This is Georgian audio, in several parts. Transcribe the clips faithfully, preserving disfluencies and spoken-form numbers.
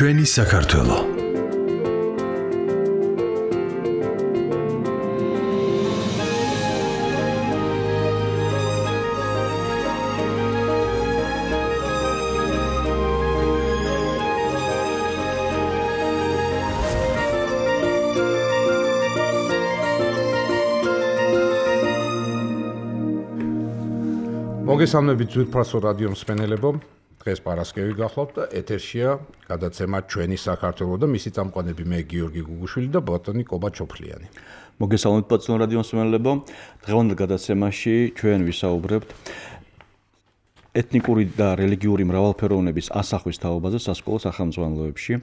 ჩვენი საქართველო. მოგესალმებით ძვირფასო რადიო მსმენელებო. დღეს პარასკევი გახლავთ და ეთერშია გადაცემა ჩვენი საქართველო და მისი წამყვანები მე გიორგი გუგუშვილი და ბატონი კობა ჩოფლიანი. მოგესალმებით პაცნო რადიო მსმენელებო. დღევანდელ გადაცემაში ჩვენ ვისაუბრებთ ეთნიკური და რელიგიური მრავალფეროვნების ასახვის თაობაზე სასკოლო სახელმძღვანელოებში.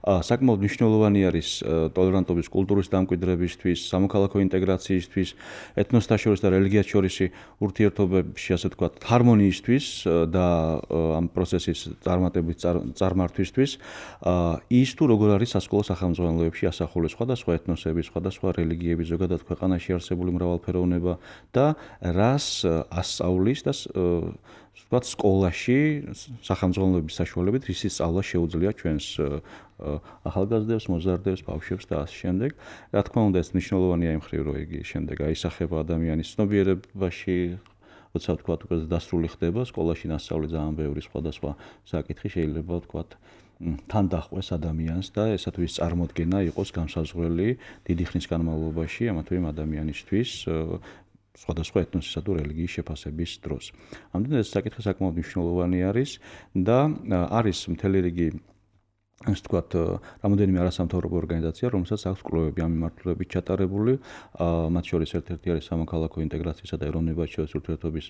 საკმაოდ მნიშვნელოვანი არის ტოლერანტობის კულტურის დამკვიდრებისთვის, სამოქალაქო ინტეგრაციისთვის, ეთნოსთა შორის და რელიგიას შორისი ურთიერთობებში, ასე ვთქვათ, ჰარმონიისთვის და ამ პროცესის წარმატებით წარმართვისთვის. ის თუ როგორ არის სასკოლო სახელმძღვანელოებში ასახული სხვადასხვა ეთნოსების, სხვადასხვა რელიგიების, ზოგადად ქვეყანაში არსებული მრავალფეროვნება და რას ასწავლის და ვთქვათ, სკოლაში სახელმძღვანელოების საშუალებით რის სწავლა შეუძლია ჩვენს ახალგაზრდებს, მოზარდებს, ბავშვებს და ასე შემდეგ. რა თქმა უნდა, ეს მნიშვნელოვანია იმ მხრივ, რომ იგი შემდეგ აისახება ადამიანის ცნობიერებაში, როცა ვთქვათ, უკვე დასრული ხდება, სკოლაში ნასწავლი ძალიან ბევრი სხვადასხვა საკითხი შეიძლება ვთქვათ თან დახვეს ადამიანს და ესა თუ ის წარმოდგენა იყოს განსაზღვრელი დიდი ხნის განმავლობაში ამა თუ იმ ადამიანისთვის სხვადასხვა ეთნოსისა თუ რელიგიის შეფასების დროს. ამდენ ეს საკითხი საკმაოდ მნიშვნელოვანი არის და არის მთელი რიგი ასე ვთქვათ, რამოდენიმე არასამთავრობო ორგანიზაცია, რომელსაც აქვს კვლევები ამ მიმართულებით ჩატარებული. მათ შორის ერთ-ერთი არის სამოქალაქო ინტეგრაციისა და ეროვნებად შორის ურთიერთობის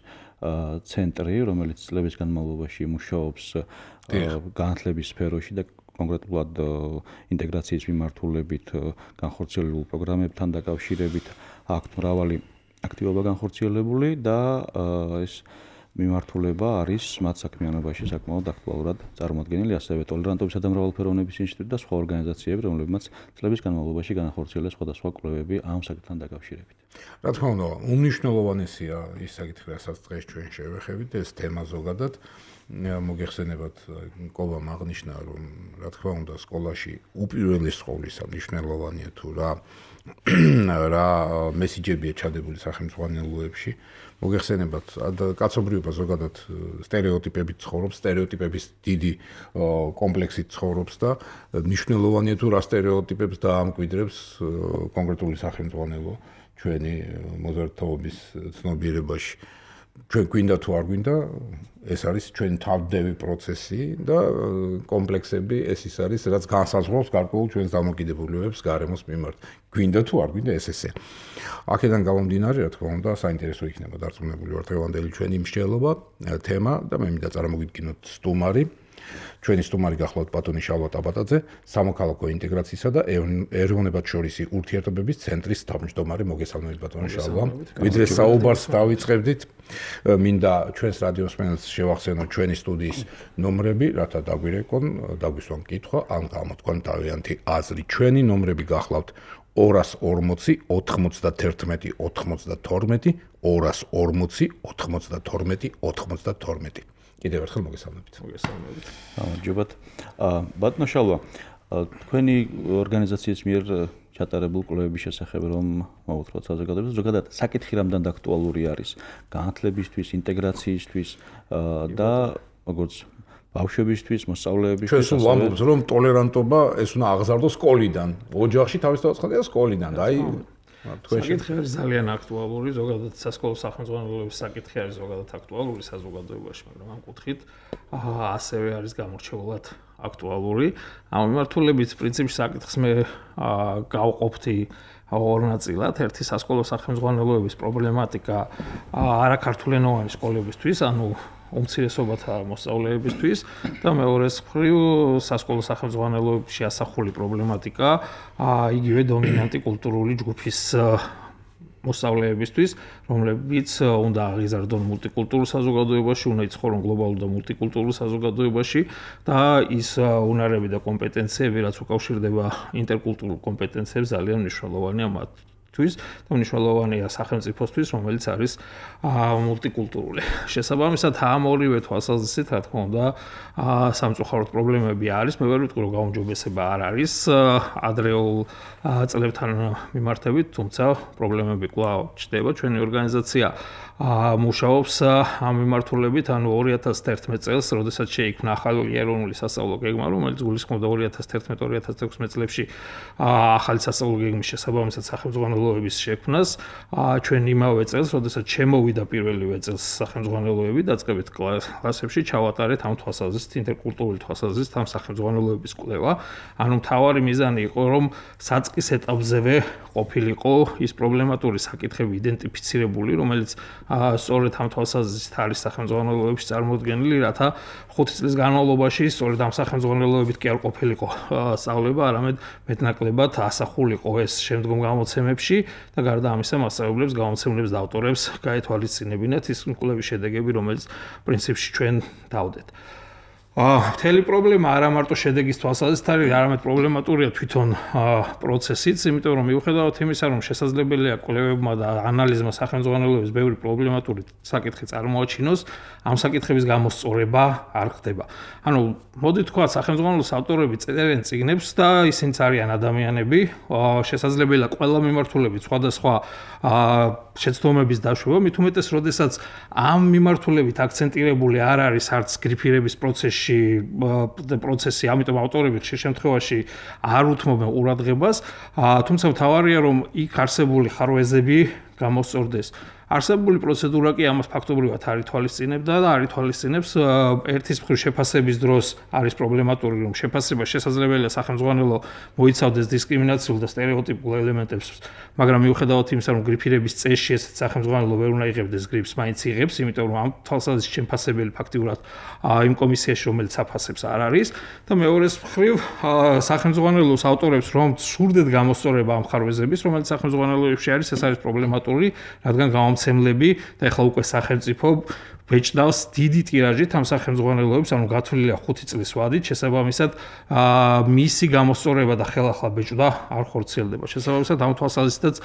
ცენტრი, რომელიც წლების განმავლობაში მუშაობს განათლების სფეროში და კონკრეტულად ინტეგრაციის მიმართულებით განხორციელებულ პროგრამებთან დაკავშირებით აქვთ მრავალი აქტივობა განხორციელებული და ეს მიმართულება არის მათ საქმიანობაში საკმაოდ აქტუალურად წარმოადგენილი, ასევე ტოლერანტობისა და მრავალფეროვნების ინსტიტუტი და სხვა ორგანიზაციები, რომლებმაც წლების განმავლობაში განახორციელეს სხვადასხვა კვლევები ამ საკითხთან დაკავშირებით. რა თქმა უნდა, უმნიშვნელოვანესია ის საკითხი, რასაც დღეს ჩვენ შევეხებით, ეს თემა ზოგადად. მოგეხსენებათ, კობამ აღნიშნა, რომ რა თქმა უნდა, სკოლაში უპირველეს სკოლისა მნიშვნელოვანია თუ რა რა მესიჯებია ჩადებული სახელმძღვანელოებში. მოგეხსენებათ, კაცობრიობა ზოგადად სტერეოტიპებით ცხოვრობს, სტერეოტიპების დიდი კომპლექსით ცხოვრობს და მნიშვნელოვანია თუ რა სტერეოტიპებს დაამკვიდრებს კონკრეტული სახელმძღვანელო ჩვენი მოზარდთაობის ცნობიერებაში. ჩვენ გვინდა თუ არ გვინდა, ეს არის ჩვენი თავდევი პროცესი და კომპლექსები, ეს ის არის, რაც განსაზღვრავს გარკვეულ ჩვენს დამოკიდებულებებს გარემოს მიმართ. გვინდა თუ არ გვინდა, ეს ესე. აქედან გამომდინარე, რა თქმა უნდა, საინტერესო იქნება დარწმუნებული ვარ დღევანდელი ჩვენი მსჯელობა, თემა და მე მინდა წარმოგიდგინოთ სტუმარი. ჩვენი სტუმარი გახლავთ ბატონი შალვა ტაბატაძე, სამოქალაქო ინტეგრაციისა და ეროვნებად შორისი ურთიერთობების ცენტრის თავმჯდომარე. მოგესალმებით ბატონი შალვა. ვიდრე საუბარს დავიწყებდით, მინდა ჩვენს რადიო მსმენელს შევახსენოთ ჩვენი სტუდიის ნომრები, რათა დაგვირეკონ, დაგვისვან კითხვა, ან გამოთქვან თავიანთი აზრი. ჩვენი ნომრები გახლავთ ორას ორმოცი ოთხმოცდათერთმეტი ოთხმოცდათორმეტი, ორას ორმოცი ოთხმოცდათორმეტი ოთხმოცდათორმეტი. კიდევ ერთხელ მოგესალმებით. მოგესალმებით. გამარჯობათ. ბატონო შალვა, თქვენი ორგანიზაციის მიერ ჩატარებულ კვლევების შესახებ რომ მოვუთხროთ საზოგადოებას, ზოგადად საკითხი რამდენად აქტუალური არის განათლებისთვის, ინტეგრაციისთვის და როგორც ბავშვებისთვის, მოსწავლეებისთვის. ჩვენ სულ ვამბობთ, რომ ტოლერანტობა ეს უნდა აღზარდოს სკოლიდან. ოჯახში თავისთავად სკოლიდან და აი საკითხი არის ძალიან აქტუალური, ზოგადად სასკოლო სახელმძღვანელოების საკითხი არის ზოგადად აქტუალური საზოგადოებაში, მაგრამ ამ კუთხით ასევე არის გამორჩეულად აქტუალური. ამ მიმართულებით პრინციპში საკითხს მე გავყოფთი ორ ნაწილად. ერთი სასკოლო სახელმძღვანელოების პრობლემატიკა არაქართულენოვანი სკოლებისთვის, ანუ უმცირესობათა მოსწავლეებისთვის და მეორეს მხრივ სასკოლო სახელმძღვანელოებში ასახული პრობლემატიკა იგივე დომინანტი კულტურული ჯგუფის მოსწავლეებისთვის, რომლებიც უნდა აღიზარდონ მულტიკულტურულ საზოგადოებაში, უნდა იცხოვრონ გლობალურ და მულტიკულტურულ საზოგადოებაში და ის უნარები და კომპეტენციები, რაც უკავშირდება ინტერკულტურულ კომპეტენციებს, ძალიან მნიშვნელოვანია მათ თვის და მნიშვნელოვანია სახელმწიფოსთვის, რომელიც არის მულტიკულტურული. შესაბამისად, ამ ორივე თვალსაზრისით, რა თქმა უნდა, სამწუხაროდ პრობლემები არის. მე ვერ ვიტყვი, რომ გაუმჯობესება არ არის ადრეულ წლებთან მიმართებით, თუმცა პრობლემები კვლავ ჩნდება. ჩვენი ორგანიზაცია მუშაობს ამ მიმართულებით, ანუ ორი ათას თერთმეტ წელს, როდესაც შეიქმნა ახალი ეროვნული სასწავლო გეგმა, რომელიც გულისხმობდა ორი ათას თერთმეტ ორი ათას თექვსმეტ წლებში ახალი სასწავლო გეგმის შესაბამისად სახელმძღვანელოების შექმნას. ჩვენ იმავე წელს, როდესაც შემოვიდა პირველივე წელს სახელმძღვანელოები, დაწყებით კლასებში ჩავატარეთ ამ თვალსაზრისით, ინტერკულტურული თვალსაზრისით ამ სახელმძღვანელოების კვლევა. ანუ მთავარი მიზანი იყო, რომ საწყის ეტაპზევე ყოფილიყო ის პრობლემატური საკითხები იდენტიფიცირებული, რომელიც სწორედ ამ თვალსაზრისით არის სახელმძღვანელოებში წარმოდგენილი, რათა ხუთი წლის განმავლობაში სწორედ ამ სახელმძღვანელოებით კი არ ყოფილიყო სწავლება, არამედ მეტნაკლებად ასახულიყო ეს შემდგომ გამოცემებში და გარდა ამისა მასწავლებლებს, გამოცემლებს და ავტორებს გაეთვალისწინებინათ ის კვლევის შედეგები, რომელიც პრინციპში ჩვენ დავდეთ. მთელი პრობლემა არა მარტო შედეგის თვალსაზრისით არის, არამედ პრობლემატურია თვითონ პროცესიც, იმიტომ რომ მიუხედავად იმისა, რომ შესაძლებელია კვლევებმა და ანალიზმა სახელმძღვანელოების ბევრი პრობლემატური საკითხი წარმოაჩინოს, ამ საკითხების გამოსწორება არ ხდება. ანუ მოდი თქვა, სახელმძღვანელოს ავტორები წერენ წიგნებს და ისინიც არიან ადამიანები, შესაძლებელია ყველა მიმართულებით სხვადასხვა შეცდომების დაშვება, მით უმეტეს, როდესაც ამ მიმართულებით აქცენტირებული არ არის არც გრიფირების პროცესში პროცესი, ამიტომ ავტორები ხშირ შემთხვევაში არ უთმობენ ყურადღებას, თუმცა მთავარია, რომ იქ არსებული ხარვეზები გამოსწორდეს. არსებული პროცედურა კი ამას ფაქტობრივად არ ითვალისწინებდა და არ ითვალისწინებს ერთის მხრივ შეფასების დროს არის პრობლემატური, რომ შეფასება შესაძლებელია სახელმძღვანელო მოიცავდეს დისკრიმინაციულ და სტერეოტიპულ ელემენტებს, მაგრამ მიუხედავად იმისა, რომ გრიფირების წესში ესეც სახელმძღვანელო ვერ უნდა იღებდეს გრიფს, მაინც იღებს, იმიტომ რომ ამ თვალსაზრისით შეფასებელი ფაქტიურად იმ კომისიაში, რომელიც აფასებს, არ არის და მეორეს მხრივ სახელმძღვანელოს ავტორებს რომ სურდეთ გამოსწორება ამ ხარვეზების, რომელიც სახელმძღვანელოებში არის, ეს არის პრობლემატური, რადგან გამომცემლები და ეხლა უკვე სახელმწიფო ბეჭდავს დიდი ტირაჟით ამ სახელმძღვანელოებს, ანუ გათვლილია ხუთი წლის ვადით, შესაბამისად მისი გამოსწორება და ხელახლა ბეჭდა არ ხორციელდება. შესაბამისად ამ თვალსაზრისითაც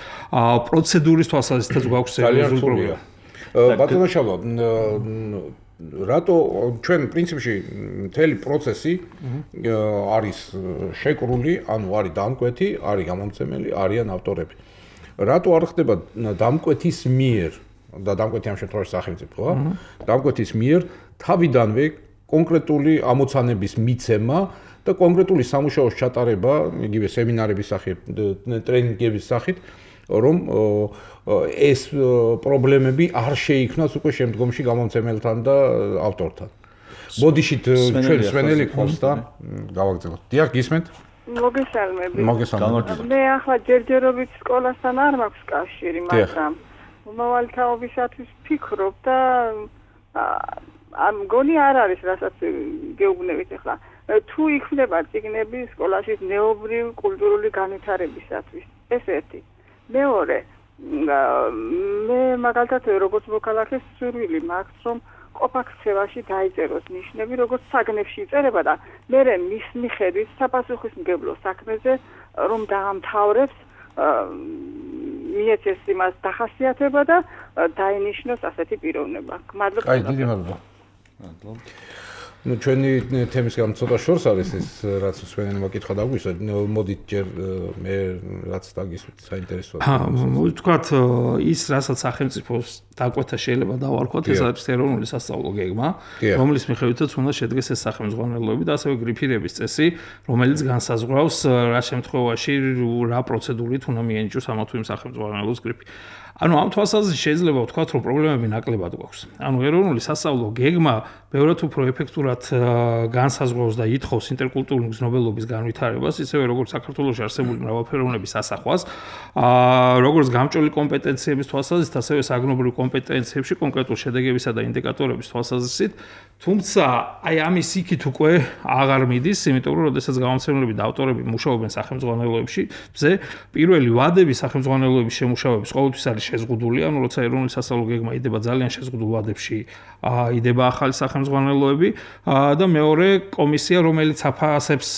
პროცედურის თვალსაზრისითაც გვაქვს სერიოზული პრობლემა. ბატონო შალვა, რატო ჩვენ პრინციპში მთელი პროცესი არის შეკრული, ანუ არის დამკვეთი, არის გამომცემელი, არიან ავტორები. რატო არ ხდება დამკვეთის მიერ და დამკვეთი ამ შემთხვევაში სახელმწიფოა, დამკვეთის მიერ თავიდანვე კონკრეტული ამოცანების მიცემა და კონკრეტული სამუშაოს ჩატარება, იგივე სემინარების სახით, ტრენინგების სახით, რომ ეს პრობლემები არ შეიქმნას უკვე შემდგომში გამომცემელთან და ავტორთან. ბოდიშით ჩვენ სვენელი ყავს და გავაგრძელოთ. დიახ, გისმენთ? მოგესალმებით. მოგესალმებით. მე ახლა ჯერჯერობით სკოლასთან არ მაქვს კავშირი, მაგრამ მომავალი თაობისათვის ვფიქრობ და ამ გონი არ არის, რასაც გეუბნებით ახლა. თუ იქნება წიგნები სკოლაში ნეობრივ კულტურული განვითარებისათვის, ეს ერთი. მეორე, მე მაგალითად როგორც მოქალაქეს სურვილი მაქვს, რომ ყოფაქცევაში დაიწეროს ნიშნები, როგორც საგნებში იწერება და მე მის მიხედვით საპასუხისმგებლო საქმეზე რომ დაამთავრებს, მიეცეს იმას დახასიათება და დაინიშნოს ასეთი პიროვნება. მადლობა. აი, დიდი მადლობა. მადლობა. ну ჩვენი თემის გამო ცოტა შორს არის ეს რაც სვენელი მოკითხა დაგვისვა მოდით ჯერ მე რაც დაგისვით საინტერესოა მოდი თქვათ ის რასაც სახელმწიფოს დაკვეთა შეიძლება დავარქვათ ეს არის ეროვნული სასწავლო გეგმა რომლის მიხედვითაც უნდა შედგეს ეს სახელმძღვანელოები და ასევე გრიფირების წესი რომელიც განსაზღვრავს რა შემთხვევაში რა პროცედურით უნდა მიენიჭოს ამა თუ იმ სახელმძღვანელოს გრიფი ანუ ამ თვალსაზრისით შეიძლება ვთქვათ რომ პრობლემები ნაკლებად გვაქვს. ანუ ეროვნული სასწავლო გეგმა ბევრად უფრო ეფექტურად განსაზღვრავს და ითხოვს ინტერკულტურული მგზნობელობის განვითარებას, ისევე როგორც საქართველოში არსებული მრავალფეროვნების ასახვას, როგორც გამჭოლი კომპეტენციების თვალსაზრისით, ასევე საგნობრივ კომპეტენციებში, კონკრეტულ შედეგებისა და ინდიკატორების თვალსაზრისით, თუმცა აი ამის იქით უკვე აღარ მიდის, იმიტომ რომ როდესაც გამომცემლები და ავტორები მუშაობენ სახელმძღვანელოებში, ზე პირველი ვადები სახელმძღვანელოების შემუშავების ყოველთვის არის შეზღუდული, ანუ როცა ეროვნული სასწავლო გეგმა იდება ძალიან შეზღუდულ ვადებში, იდება ახალი სახელმძღვანელოები და მეორე კომისია, რომელიც აფასებს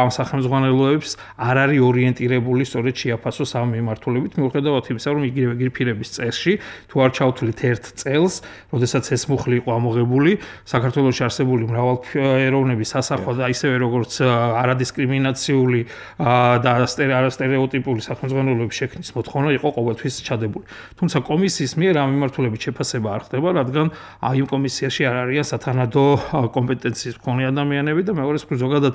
ამ სახელმძღვანელოებს, არ არის ორიენტირებული სწორედ შეაფასოს ამ მიმართულებით, მიუხედავად იმისა, რომ იგივე გრიფირების წესში თუ არ ჩავთვლით ერთ წელს, როდესაც ეს მუხლი იყო ამოღებული, საქართველოში არსებული მრავალფეროვნების სასახვა და ისევე როგორც არადისკრიმინაციული და არასტერეოტიპული სახელმძღვანელოების შექმნის მოთხოვნა იყო ყოველთვის ჩადებული. თუმცა კომისიის მიერ ამ მიმართულებით შეფასება არ ხდება, რადგან იმ კომისიაში არ არიან სათანადო კომპეტენციის მქონე ადამიანები და მეორე მხრივ ზოგადად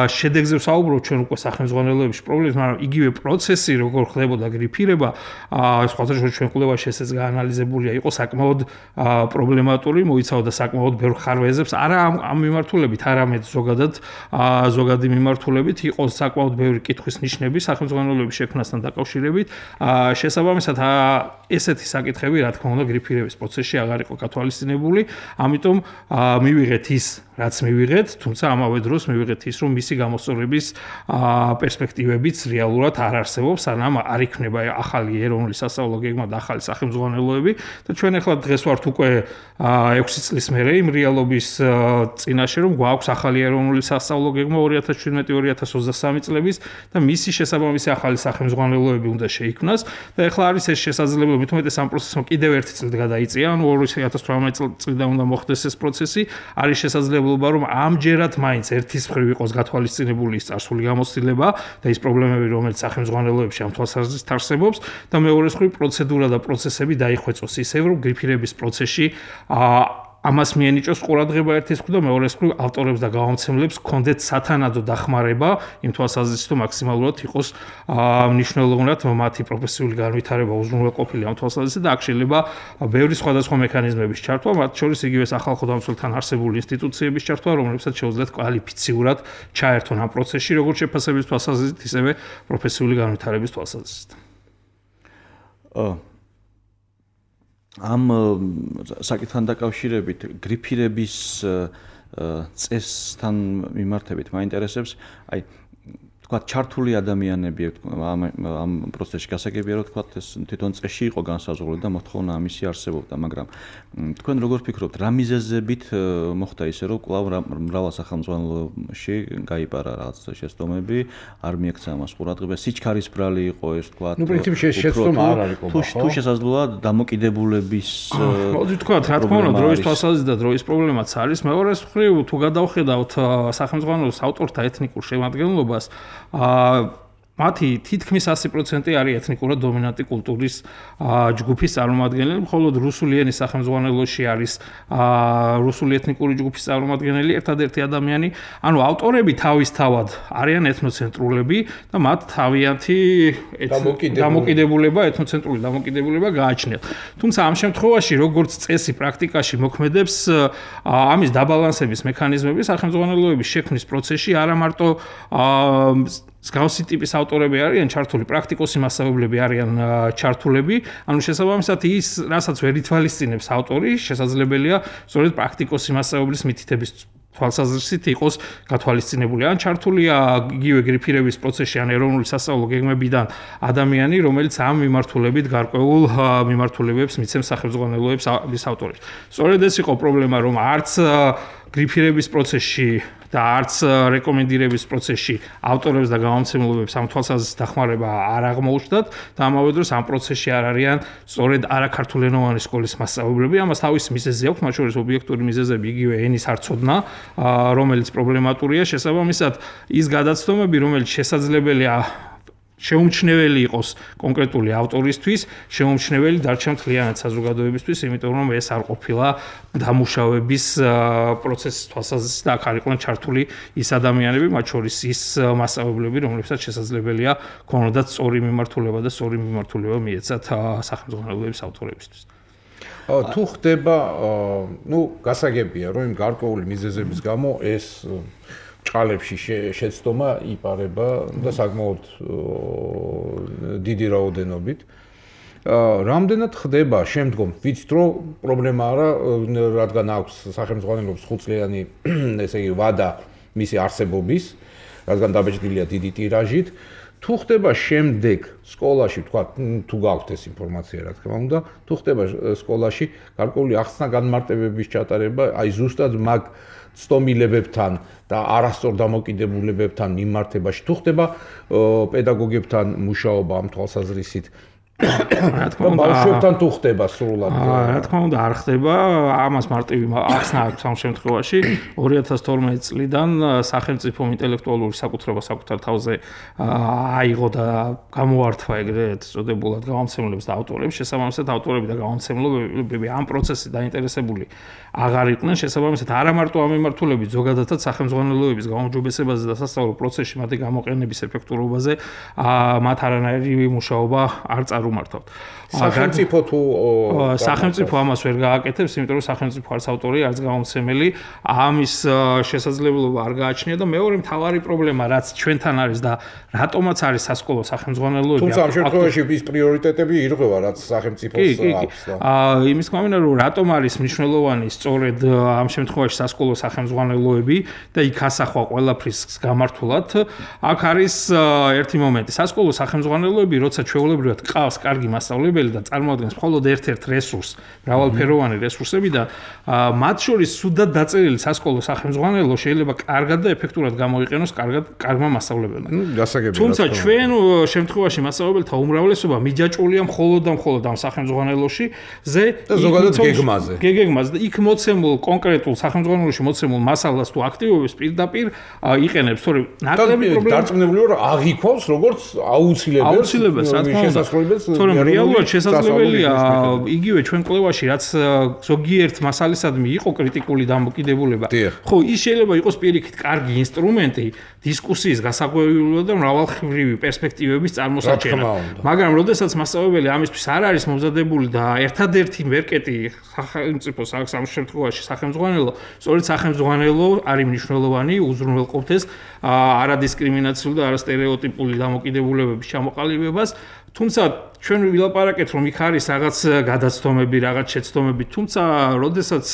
შედეგზე ვსაუბრობ ჩვენ უკვე სახელმძღვანელოებში პრობლემებს, მაგრამ იგივე პროცესი როგორ ხდებოდა გრიფირება, სხვათა შორის ჩვენ კვლევაში ესეც გაანალიზებულია, იყო საკმაოდ პრობლემატური, მოიცავდა საკმაოდ ბევრ ხარვეზებს, არა ამ მიმართულებით, არამედ ზოგადად ზოგადი მიმართულებით იყო საკმაოდ ბევრი კითხვის ნიშნები სახელმძღვანელოების შექმნასთან დაკავშირებით. შესაბამისად, ესეთი საკითხები, რა თქმა უნდა, გრიფირების პროცესში აღარ იყო გათვალისწინებული, ამიტომ მივიღეთ ის, რაც მივიღეთ, თუმცა ამავე დროს მივიღეთ ის, რომ მისი გამოსწორების პერსპექტივებიც რეალურად არ არსებობს, სანამ არ იქნება ახალი ეროვნული სასწავლო გეგმა და ახალი სახელმძღვანელოები და ჩვენ ახლა დღეს ვართ უკვე ექვსი წლის მერე იმ რეალობის წინაშე, რომ გვაქვს ახალი ეროვნული სასწავლო გეგმა ორი ათას შვიდმეტი ორი ათას ოცდასამი წლების და მისი შესაბამისი ახალი სახელმძღვანელოები უნდა შეიქმნას და ახლა არის ეს შესაძლებლობა, მით უმეტეს ამ პროცესმა კიდევ ერთი წლით გადაიწია, ანუ ორი ათას თვრამეტი წლიდან უნდა მოხდეს ეს პროცესი, არის შესაძლებლობა, რომ ამჯერად მაინც ერთის მხრივ იყოს გათვალისწინებული ის წარსული გამოცდილება და ის პრობლემები, რომელიც სახელმძღვანელოებში ამ თვალსაზრისით არსებობს და მეორე მხრივ პროცედურა და პროცესები დაიხვეწოს ისევ, რომ გრიფირების პროცესში ამას მიენიჭოს ყურადღება ერთის მხრივ და მეორე მხრივ ავტორებს და გამომცემლებს კონდეთ სათანადო დახმარება იმ თვალსაზრისით, რომ მაქსიმალურად იყოს მნიშვნელოვნად მათი პროფესიული განვითარება უზრუნველყოფილი ამ თვალსაზრისით და აქ შეიძლება ბევრი სხვადასხვა მექანიზმების ჩართვა, მათ შორის იგივე სახალხო დამცველთან არსებული ინსტიტუციების ჩართვა, რომლებსაც შეუძლიათ კვალიფიციურად ჩაერთონ ამ პროცესში, როგორც შეფასების თვალსაზრისით, ისევე პროფესიული განვითარების თვალსაზრისით. ამ საკითხთან დაკავშირებით გრიფირების წესთან მიმართებით მაინტერესებს, აი თქვა ჩართული ადამიანები ამ ამ პროცესში გასაგებია, რომ თქვა ეს თვითონ წესში იყო განსაზღვრული და მოთხოვნა ამისი არსებობდა, მაგრამ თქვენ როგორ ფიქრობთ, რა მიზეზებით მოხდა ისე, რომ კვლავ მრავალ სახელმძღვანელოში გაიპარა რაღაც შეცდომები, არ მიექცა ამას ყურადღება, სიჩქარისბრალი იყო ეს თქვა. ნუ პრინციპში შეცდომა არ არის ყობა, ხო? თუ შესაძლოა დამოკიდებულების მოდი თქვა, რა თქმა უნდა, დროის თვალსაზრისით და დროის პრობლემაც არის. მეორე მხრივ, თუ გადავხედავთ სახელმძღვანელოს ავტორთა ეთნიკურ შემადგენლობას, აა მათი თითქმის ასი პროცენტი არის ეთნიკურად დომინანტი კულტურის ჯგუფის წარმომადგენელი, მხოლოდ რუსული ენის სახელმძღვანელოში არის რუსული ეთნიკური ჯგუფის წარმომადგენელი ერთადერთი ადამიანი. ანუ ავტორები თავისთავად არიან ეთნოცენტრულები და მათ თავიანთი დამოკიდებულება, ეთნოცენტრული დამოკიდებულება გააჩნიათ. თუმცა ამ შემთხვევაში, როგორც წესი პრაქტიკაში მოქმედებს, ამის დაბალანსების მექანიზმები სახელმძღვანელოების შექმნის პროცესში არა მარტო მსგავსი ტიპის ავტორები არიან ჩართული, პრაქტიკოსი მასწავლებლები არიან ჩართულები, ანუ შესაბამისად ის, რასაც ვერ ითვალისწინებს ავტორი, შესაძლებელია სწორედ პრაქტიკოსი მასწავლებლის მითითების თვალსაზრისით იყოს გათვალისწინებული. ან ჩართულია იგივე გრიფირების პროცესში, ან ეროვნული სასწავლო გეგმებიდან ადამიანი, რომელიც ამ მიმართულებით გარკვეულ მიმართულებებს მიცემს სახელმძღვანელოებს ის ავტორებს. სწორედ ეს იყო პრობლემა, რომ არც გრიფირების პროცესში და არც რეკომენდირების პროცესში ავტორებს და გამომცემლობებს ამ თვალსაზრისით დახმარება არ აღმოუჩნდათ და ამავე დროს ამ პროცესში არ არიან სწორედ არაქართულენოვანი სკოლის მასწავლებლები. ამას თავისი მიზეზი აქვს, მათ შორის ობიექტური მიზეზები იგივე ენის არცოდნა, რომელიც პრობლემატურია. შესაბამისად, ის გადაცდომები, რომელიც შესაძლებელია შეუმჩნეველი იყოს კონკრეტული ავტორისთვის, შეუმჩნეველი დარჩა მთლიანად საზოგადოებისთვის, იმიტომ რომ ეს არ ყოფილა დამუშავების პროცესის თვალსაზრისით და აქ არ იყვნენ ჩართული ის ადამიანები, მათ შორის ის მასწავლებლები, რომლებსაც შესაძლებელია ქონოდათ სწორი მიმართულება და სწორი მიმართულება მიეცათ სახელმძღვანელოების ავტორებისთვის. თუ ხდება, ნუ გასაგებია, რომ იმ გარკვეული მიზეზების გამო ეს ჭყალებში შეცდომა იპარება და საკმაოდ დიდი რაოდენობით. რამდენად ხდება შემდგომ ვიცით რომ პრობლემა არა რადგან აქვს სახელმწიფოს ხუთწლიანი ესე იგი ვადა მისი არსებობის რადგან დაბეჭდილია დიდი ტირაჟით თუ ხდება შემდეგ სკოლაში თქვა თუ გაქვთ ეს ინფორმაცია რა თქმა უნდა თუ ხდება სკოლაში გარკვეული ახსნა განმარტებების ჩატარება აი ზუსტად მაგ ცდომილებებთან და არასწორ დამოკიდებულებებთან მიმართებაში თუ ხდება პედაგოგებთან მუშაობა ამ თვალსაზრისით რა თქმა უნდა ბავშვებთან თუ ხდება სრულად რა თქმა უნდა არ ხდება ამას მარტივი ახსნა აქვს ამ შემთხვევაში ორი ათას თორმეტი წლიდან სახელმწიფო ინტელექტუალური საკუთრება საკუთარ თავზე აიღო და გამოართვა ეგრეთ წოდებულად გამომცემლებს და ავტორებს შესაბამისად ავტორები და გამომცემლები ამ პროცესში დაინტერესებული აღარ იყვნენ შესაბამისად არა მარტო ამ მიმართულებით ზოგადადაც სახელმძღვანელოების გაუმჯობესებაზე და სასწავლო პროცესში მათი გამოყენების ეფექტურობაზე მათ არანაირი მუშაობა არ წარუმართავთ. სახელმწიფო თუ სახელმწიფო ამას ვერ გააკეთებს, იმიტომ რომ სახელმწიფო არც ავტორი, არც გამომცემელი ამის შესაძლებლობა არ გააჩნია და მეორე მთავარი პრობლემა რაც ჩვენთან არის და რატომაც არის სასკოლო სახელმძღვანელოები. თუმცა ამ შემთხვევაში ის პრიორიტეტები ირღვევა რაც სახელმწიფოს აქვს და აა იმის გამომდინარე რომ რატომ არის მნიშვნელოვანი სწორედ ამ შემთხვევაში სასკოლო სახელმძღვანელოები და იქ ასახვა ყველაფრის გამართულად აქ არის ერთი მომენტი სასკოლო სახელმძღვანელოები როცა ჩვეულებრივად ყავს კარგი მასწავლებელი და წარმოადგენს მხოლოდ ერთ-ერთ რესურსს, მრავალფეროვანი რესურსები და მათ შორის სუდად დაწერილი სასკოლო სახელმძღვანელო შეიძლება კარგად და ეფექტურად გამოიყენოს კარგად კარგმა მასწავლებელმა. თუმცა ჩვენ შემთხვევაში მასწავლებელთა უმრავლესობა მიჯაჭვულია მხოლოდ და მხოლოდ ამ სახელმძღვანელოში ზე და ზოგადად გეგმაზე. გეგმაზე და იქ მოცემულ კონკრეტულ სახელმძღვანელოში მოცემულ მასალას თუ აქტივობებს პირდაპირ იყენებს, თორემ ნაკლები პრობლემა დარწმუნებული ვარ აღიქواس როგორც აუცილებელი აუცილებელი შესაძლებლობებს თორემ რეალურად შესაძლებელია იგივე ჩვენ კვლევაში რაც ზოგიერთ მასალისადმი იყო კრიტიკული დამოკიდებულება ხო ის შეიძლება იყოს პირიქით კარგი ინსტრუმენტი დისკუსიის გასაკვირვებლად და მრავალმხრივი პერსპექტივების წარმოსაჩენა მაგრამ როდესაც მასწავლებელი ამისთვის არ არის მომზადებული და ერთადერთი მერკეტი სახელმწიფო ამ შემთხვევაში სახელმძღვანელო სწორედ სახელმძღვანელო არის მნიშვნელოვანი უზრუნველყოფთ ეს არადისკრიმინაციულ და არასტერეოტიპული დამოკიდებულებების ჩამოყალიბებას თუმცა ჩვენ ვილაპარაკეთ რომ იქ არის რაღაც გადაცდომები, რაღაც შეცდომები, თუმცა როდესაც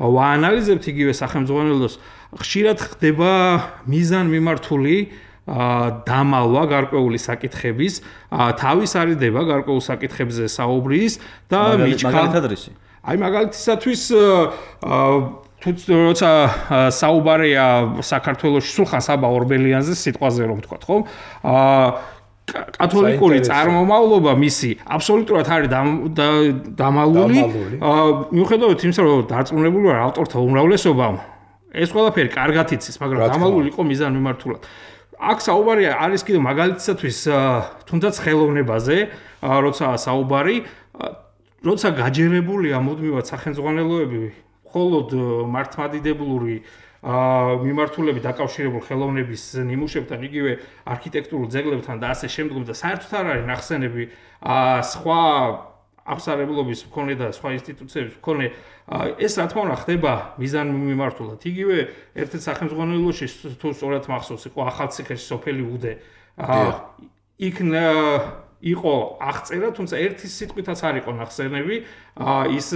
ვაანალიზებთ იგივე სახელმძღვანელოს, ხშირად ხდება მიზანმიმართული დამალვა გარკვეული საკითხების, თავის არიდება გარკვეულ საკითხებზე საუბრის და მაგალითადრისი. აი მაგალითისათვის თუ როცა საუბარია საქართველოში სულხან საბა ორბელიანზე სიტყვაზე რომ ვთქვათ, ხო? აა კათოლიკური წარმომავლობა მისი აბსოლუტურად არის დამალული. მიუხედავად იმისა, რომ დარწმუნებული ვარ ავტორთა უმრავლესობამ ეს ყველაფერი კარგად იცის, მაგრამ დამალული იყო მიზანმიმართულად. აქ საუბარია არის კიდევ მაგალითისათვის თუნდაც ხელოვნებაზე, როცა საუბარი, როცა გაჯერებულია მუდმივად სახელმძღვანელოები მხოლოდ მართლმადიდებლური მიმართულებით დაკავშირებულ ხელოვნების ნიმუშებთან, იგივე არქიტექტურულ ძეგლებთან და ასე შემდგომ და საერთოდ არ არის ნახსენები სხვა აღსარებლობის მქონე და სხვა ინსტიტუციების მქონე ეს რა თქმა უნდა ხდება მიზანმიმართულად. იგივე ერთ-ერთ სახელმძღვანელოში თუ სწორად მახსოვს იყო ახალციხეში სოფელი უდე. იქ იყო აღწერა, თუმცა ერთი სიტყვითაც არ იყო ნახსენები ის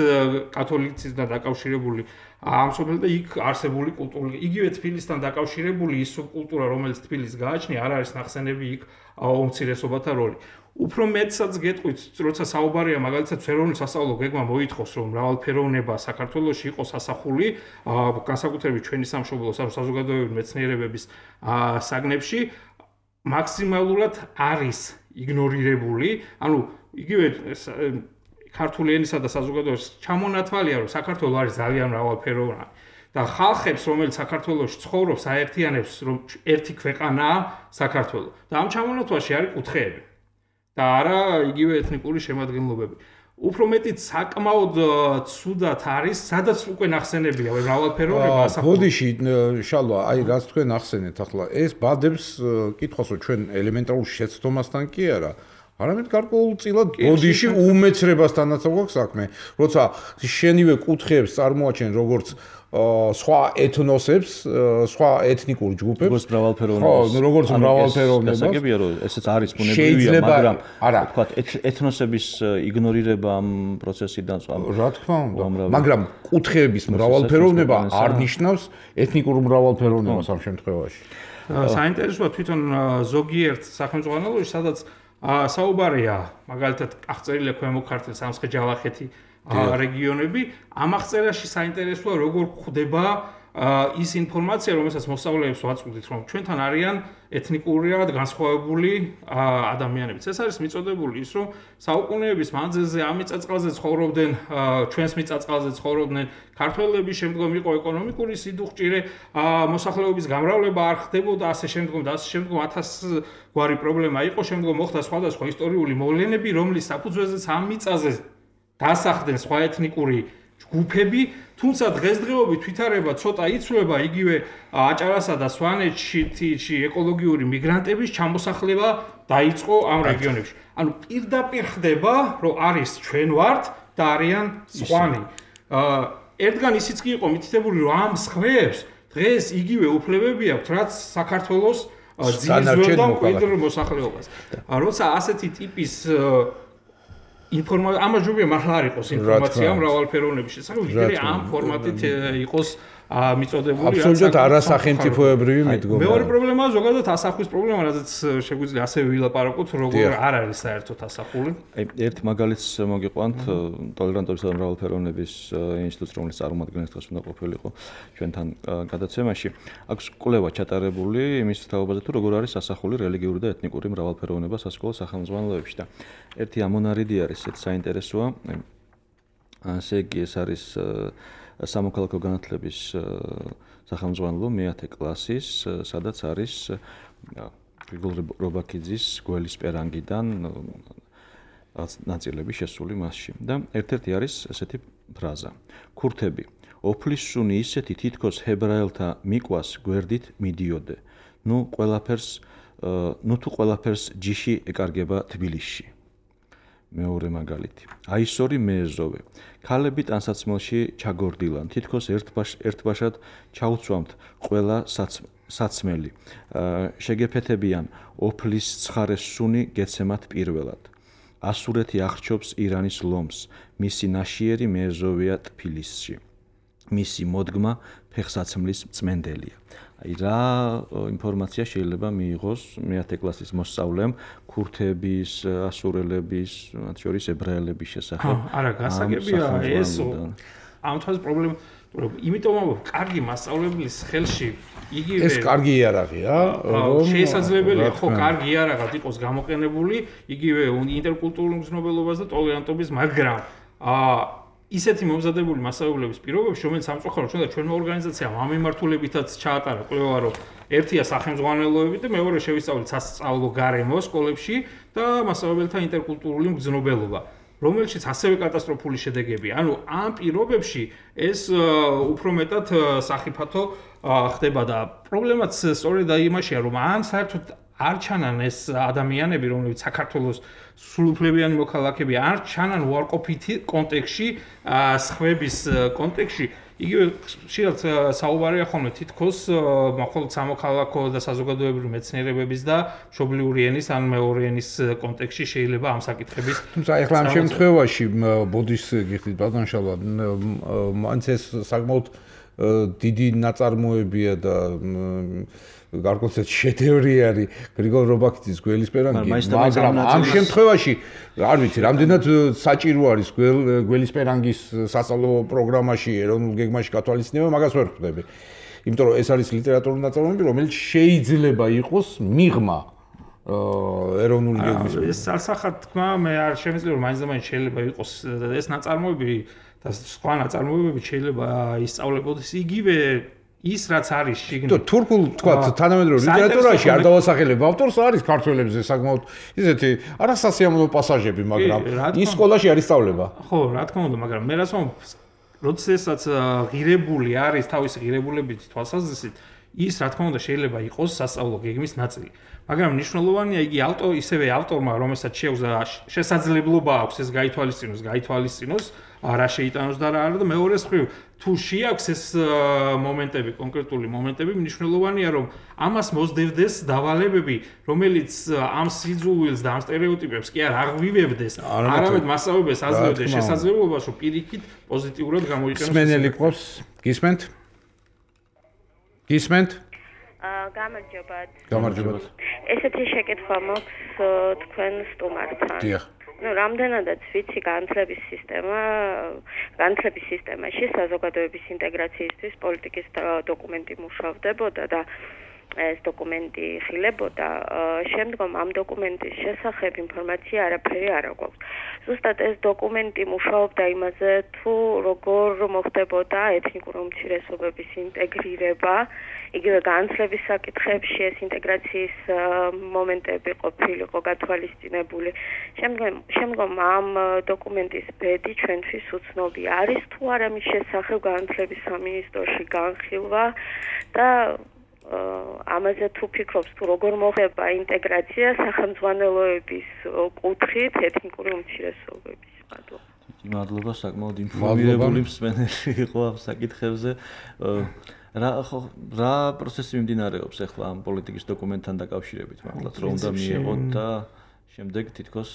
კათოლიციზმთან დაკავშირებული ამ სოფელი და იქ არსებული კულტურული იგივე თბილისთან დაკავშირებული ის სუბკულტურა რომელიც თბილისს გააჩნია არ არის ნახსენები იქ უმცირესობათა როლი. უფრო მეტსაც გეტყვით, როცა საუბარია მაგალითად ეროვნული სასწავლო გეგმა მოითხოვს რომ მრავალფეროვნება საქართველოში იყოს ასახული განსაკუთრებით ჩვენი სამშობლოს ან საზოგადოებრივი მეცნიერებების საგნებში მაქსიმალურად არის იგნორირებული, ანუ იგივე ქართული ენისა და საზოგადოების ჩამონათვალია, რომ საქართველო არის ძალიან მრავალფეროვანი და ხალხებს, რომელიც საქართველოში ცხოვრობს, აერთიანებს, რომ ერთი ქვეყანაა საქართველო. და ამ ჩამონათვალში არის კუთხეები და არა იგივე ეთნიკური შემადგენლობები. უფრო მეტიც საკმაოდ ცუდად არის, სადაც უკვე ნახსენებია მრავალფეროვნება ასახული. ბოდიში შალვა, აი რაც თქვენ ახსენეთ ახლა, ეს ბადებს კითხავს, რომ ჩვენ ელემენტარულ შეცდომასთან კი არა, არამედ გარკვეულწილად ბოდიში უმეცრებასთანაც აქვს საქმე. როცა შენივე კუთხეებს წარმოაჩენ როგორც სხვა ეთნოსებს, სხვა ეთნიკურ ჯგუფებს, როგორც მრავალფეროვნებას. ხო, როგორც მრავალფეროვნებას. გასაგებია, რომ ესეც არის ბუნებრივია, მაგრამ თქვა ეთნოსების იგნორირება ამ პროცესიდან სხვა. რა თქმა უნდა, მაგრამ კუთხეების მრავალფეროვნება არ ნიშნავს ეთნიკურ მრავალფეროვნებას ამ შემთხვევაში. საინტერესოა თვითონ ზოგიერთ სახელმწიფოში, სადაც საუბარია, მაგალითად, აღწერილია ქვემო ქართლის სამცხე-ჯავახეთი რეგიონები, ამ აღწერაში საინტერესოა როგორ ხდება ის ინფორმაცია, რომელსაც მოსწავლეებს ვაწვდით, რომ ჩვენთან არიან ეთნიკურად განსხვავებული ადამიანებიც. ეს არის მიწოდებული ის, რომ საუკუნეების მანძილზე ამ მიწა-წყალზე ცხოვრობდნენ, ჩვენს მიწა-წყალზე ცხოვრობდნენ ქართველები, შემდგომ იყო ეკონომიკური სიდუხჭირე, მოსახლეობის გამრავლება არ ხდებოდა, ასე შემდგომ და ასე შემდგომ ათას გვარი პრობლემა იყო, შემდგომ მოხდა სხვადასხვა ისტორიული მოვლენები, რომლის საფუძველზეც ამ მიწაზე დასახდნენ სხვა ეთნიკური ჯგუფები, თუმცა დღესდღეობით ვითარება ცოტა იცვლება, იგივე აჭარასა და სვანეთში ეკოლოგიური მიგრანტების ჩამოსახლება დაიწყო ამ რეგიონებში. ანუ პირდაპირ ხდება, რომ არის ჩვენ ვართ და არიან სხვანი. ერთგან ისიც კი იყო მითითებული, რომ ამ სხვებს დღეს იგივე უფლებები აქვთ, რაც საქართველოს ძირითად და მკვიდრ მოსახლეობას. როცა ასეთი ტიპის ინფორმაცია ამაჟობია მართლა არ იყოს ინფორმაცია მრავალფეროვნების შესახებ, ვიდრე ამ ფორმატით იყოს მიწოდებული. აბსოლუტურად არასახელმწიფოებრივი მიდგომა. მეორე პრობლემაა ზოგადად ასახვის პრობლემა, რადგან შეგვიძლია ასე ვილაპარაკოთ, როგორ არ არის საერთოდ ასახული. აი, ერთ მაგალითს მოგიყვანთ ტოლერანტობისა და მრავალფეროვნების ინსტიტუტს, რომელიც წარმომადგენლის დღეს უნდა ყოფილიყო ჩვენთან გადაცემაში. აქვს კვლევა ჩატარებული იმის თაობაზე, თუ როგორ არის ასახული რელიგიური და ეთნიკური მრავალფეროვნება სასკოლო სახელმძღვანელოებში და ერთი ამონარიდი არის ეს საინტერესოა. ასე იგი ეს არის სამოქალაქო განათლების სახელმძღვანელო მეათე კლასის, სადაც არის გრიგოლ რობაქიძის გველის პერანგიდან ნაწილები შესული მასში. და ერთ-ერთი არის ესეთი ფრაზა: ქურთები, ოფლის სუნი ისეთი თითქოს ჰებრაელთა მიყვას გვერდით მიდიოდე. ნუ ყველაფერს, ნუ თუ ყველაფერს ჯიში ეკარგება თბილისში. მეორე მაგალითი. აისორი მეეზოვე. ქალები ტანსაცმელში ჩაგორდილან. თითქოს ერთბაშად ჩაუცვამთ ყველა საცმელი. შეგეფეთებიან ოფლის ცხარეს სუნი გეცემათ პირველად. ასურეთი აღრჩობს ირანის ლომს. მისი ნაშიერი მეეზოვეა თბილისში. მისი მოდგმა ფეხსაცმლის წმენდელია. აი რა ინფორმაცია შეიძლება მიიღოს მეათე კლასის მოსწავლემ ქურთების, ასურელების, მათ შორის ებრაელების შესახებ? არა, გასაგებია ეს ამ თვალს პრობლემა, იმიტომ რომ კარგი მასწავლებლის ხელში იგივე ეს კარგი იარაღია, რომ შესაძლებელია ხო კარგი იარაღად იყოს გამოყენებული იგივე ინტერკულტურულ მგზნობელობას და ტოლერანტობის, მაგრამ აა ისეთი მომზადებული მასწავლებლების პირობებში, რომელიც სამწუხაროდ ჩვენ და ჩვენმა ორგანიზაციამ ამ მიმართულებითაც ჩაატარა კვლევა, რომ ერთია სახელმძღვანელოები და მეორე შევისწავლეთ სასწავლო გარემო სკოლებში და მასწავლებელთა ინტერკულტურული მგზნობელობა, რომელშიც ასევე კატასტროფული შედეგებია. ანუ ამ პირობებში ეს უფრო მეტად სახიფათო ხდება და პრობლემაც სწორედ იმაშია, რომ ან საერთოდ არ ჩანან ეს ადამიანები, რომლებიც საქართველოს სრულუფლებიანი მოქალაქეები, არ ჩანან უარყოფითი კონტექსტში, სხვების კონტექსტში. იგივე შეიძლება საუბარია ხოლმე თითქოს მხოლოდ სამოქალაქო და საზოგადოებრივი მეცნიერებების და მშობლიური ენის ან მეორე ენის კონტექსტში შეიძლება ამ საკითხების. თუმცა ეხლა ამ შემთხვევაში ბოდის გიხდით ბატონშალვა, მაინც ეს საკმაოდ დიდი ნაწარმოებია და გარკვეულწილად შედევრი არის გრიგოლ რობაქიძის გველის პერანგი, მაგრამ ამ შემთხვევაში არ ვიცი, რამდენად საჭირო არის გველის პერანგის სასწავლო პროგრამაში, ეროვნულ გეგმაში გათვალისწინება, მაგას ვერ ხვდები. იმიტომ რომ ეს არის ლიტერატურული ნაწარმოები, რომელიც შეიძლება იყოს მიღმა ეროვნული გეგმის. ეს სასახად თქმა, მე არ შემიძლია რომ მაინც და მაინც შეიძლება იყოს ეს ნაწარმოები და სხვა ნაწარმოებები შეიძლება ისწავლებოდეს იგივე ის რაც არის შიგნით. თურქულ თქვა თანამედროვე ლიტერატურაში არ დავასახელებ ავტორს, არის ქართველებზე საკმაოდ ისეთი არასასიამოვნო პასაჟები, მაგრამ ის სკოლაში არ ისწავლება. ხო, რა თქმა უნდა, მაგრამ მე რას ვამბობ, როდესაც ღირებული არის თავისი ღირებულებით თვალსაზრისით, ის რა თქმა უნდა შეიძლება იყოს სასწავლო გეგმის ნაწილი. მაგრამ მნიშვნელოვანია იგი ავტორ ისევე ავტორმა რომელსაც შეუძლია შესაძლებლობა აქვს ეს გაითვალისწინოს, გაითვალისწინოს რა შეიტანოს და რა არა და მეორეს მხრივ თუ შეაქვს ეს მომენტები, კონკრეტული მომენტები, მნიშვნელოვანია რომ ამას მოსდევდეს დავალებები, რომელიც ამ სიძულვილს და ამ სტერეოტიპებს კი არ აღვივებდეს, არამედ მასწავლებელს აძლევდეს შესაძლებლობას, რომ პირიქით პოზიტიურად გამოიყენოს. სმენელი ყავს, გისმენთ? გისმენთ? აა გამარჯობათ. გამარჯობათ. ესეთი შეკითხვა მაქვს თქვენ სტუმართან. დიახ. ну, რამდენადაც ვიცი განათლების სისტემა, განათლების სისტემაში საზოგადოების ინტეგრაციისთვის პოლიტიკის დოკუმენტი მუშავდებოდა და ეს დოკუმენტი ხილებოდა, შემდგომ ამ დოკუმენტის შესახებ ინფორმაცია არაფერი არ აქვს. ზუსტად ეს დოკუმენტი მუშაობდა იმაზე, თუ როგორ მოხდებოდა ეთნიკური უმცირესობების ინტეგრირება, იგივე განათლების საკითხებში ეს ინტეგრაციის მომენტები ყოფილიყო გათვალისწინებული. შემდგომ შემდგომ ამ დოკუმენტის ბედი ჩვენთვის უცნობი არის თუ არა მის შესახებ განათლების სამინისტროში განხილვა და ამაზე თუ ფიქრობს თუ როგორ მოხდება ინტეგრაცია სახელმძღვანელოების კუთხით ეთნიკური უმცირესობების მადლობა. მადლობა, საკმაოდ ინფორმირებული მსმენელი იყო ამ საკითხებზე. რა რა პროცესი მიმდინარეობს ახლა ამ პოლიტიკის დოკუმენტთან დაკავშირებით მართლაც რომ უნდა მიიღოთ და შემდეგ თითქოს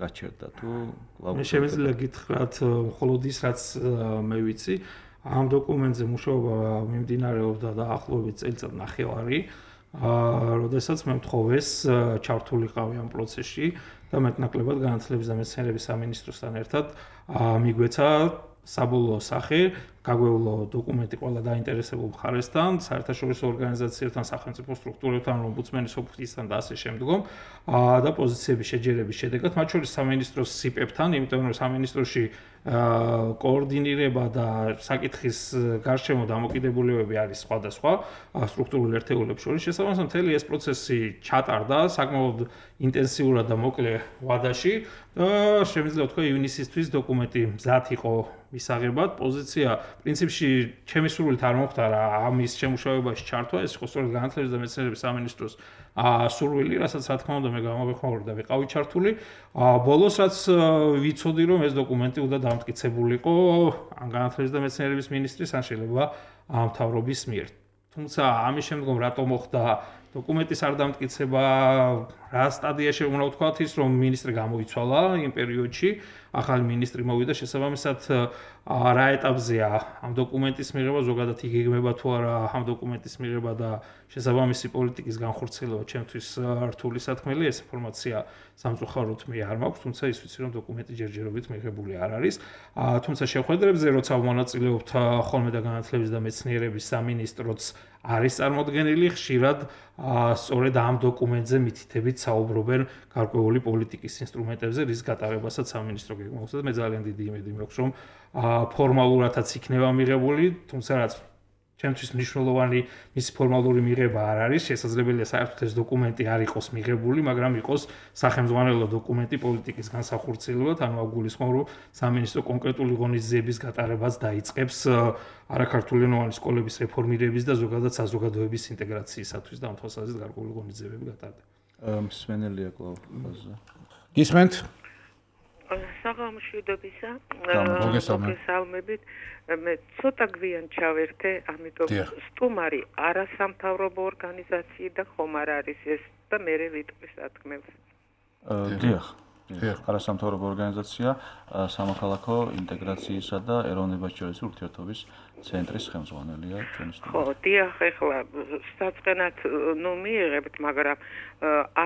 გაჩერდა თუ კლავ მე შემიძლია გითხრათ მხოლოდ ის რაც მე ვიცი ამ დოკუმენტზე მუშაობა მიმდინარეობდა დაახლოებით წელიწად ნახევარი, როდესაც მე მთხოვეს ჩართულიყავი ამ პროცესში და მეტნაკლებად განათლების და მეცნიერების სამინისტროსთან ერთად მიგვეცა საბოლოო სახე, გაგვევლო დოკუმენტი ყველა დაინტერესებულ მხარესთან, საერთაშორისო ორგანიზაციებთან, სახელმწიფო სტრუქტურებთან, ომბუდსმენის ოფისთან და ასე შემდგომ და პოზიციების შეჯერების შედეგად, მათ შორის სამინისტროს სიპებთან, იმიტომ რომ სამინისტროში კოორდინირება და საკითხის გარშემო დამოკიდებულებები არის სხვადასხვა სტრუქტურულ ერთეულებს შორის. შესაბამისად, მთელი ეს პროცესი ჩატარდა საკმაოდ ინტენსიურად და მოკლე ვადაში და შემიძლია ვთქვა ივნისისთვის დოკუმენტი მზად იყო მისაღებად. პოზიცია პრინციპში ჩემი სურვილით არ მოხდარა ამის შემუშავებაში ჩართვა, ეს იყო სწორედ განათლების და მეცნიერების სამინისტროს სურვილი, რასაც რა თქმა უნდა მე გამოვეხმაურე და ვიყავი ჩართული. ბოლოს რაც ვიცოდი რომ ეს დოკუმენტი უნდა დამტკიცებულიყო ამ განათლების და მეცნიერების მინისტრის ან შეიძლება მთავრობის მიერ. თუმცა ამის შემდგომ რატო მოხდა დოკუმენტის არ დამტკიცება, რა სტადიაში უნდა ვთქვათ ის რომ მინისტრი გამოიცვალა იმ პერიოდში, ახალი მინისტრი მოვიდა, შესაბამისად რა ეტაპზეა ამ დოკუმენტის მიღება, ზოგადად იგეგმება თუ არა ამ დოკუმენტის მიღება და შესაბამისი პოლიტიკის განხორციელება ჩემთვის რთული სათქმელი, ეს ინფორმაცია სამწუხაროდ მე არ მაქვს, თუმცა ის ვიცი რომ დოკუმენტი ჯერჯერობით მიღებული არ არის. თუმცა შეხვედრებზე როცა ვმონაწილეობთ ხოლმე და განათლების და მეცნიერების სამინისტროც არის წარმოდგენილი, ხშირად სწორედ ამ დოკუმენტზე მითითებით საუბრობენ გარკვეული პოლიტიკის ინსტრუმენტებზე, რის გატარებასაც სამინისტრო გეგმავს და მე ძალიან დიდი იმედი მაქვს, რომ ფორმალურადაც იქნება მიღებული, თუმცა რაც ჩემთვის მნიშვნელოვანი მის ფორმალური მიღება არ არის, შესაძლებელია საერთოდ ეს დოკუმენტი არ იყოს მიღებული, მაგრამ იყოს სახელმძღვანელო დოკუმენტი პოლიტიკის განსახორციელებლად, ანუ აგულისხმობ, რომ სამინისტრო კონკრეტული ღონისძიების გატარებას დაიწყებს არაქართულენოვანი სკოლების რეფორმირების და ზოგადად საზოგადოების ინტეგრაციისათვის და ამ თვალსაზრისით გარკვეული ღონისძიებები გატარდება. მსმენელია კლავ ფაზა. გისმენთ? საღამოშვიდობისა, მოგესალმებით. მე ცოტა გვიან ჩავერთე, ამიტომ სტუმარი არასამთავრობო ორგანიზაცია და ხომ არ არის ეს და მე ვიტყვი სათქმელს. დიახ. არასამთავრობო ორგანიზაცია სამოქალაქო ინტეგრაციისა და ეროვნებაშორისი ურთიერთობის ცენტრის ხელმძღვანელია ჩვენი სტუმარი. ხო, დიახ, ეხლა საწყენად ნუ მიიღებთ, მაგრამ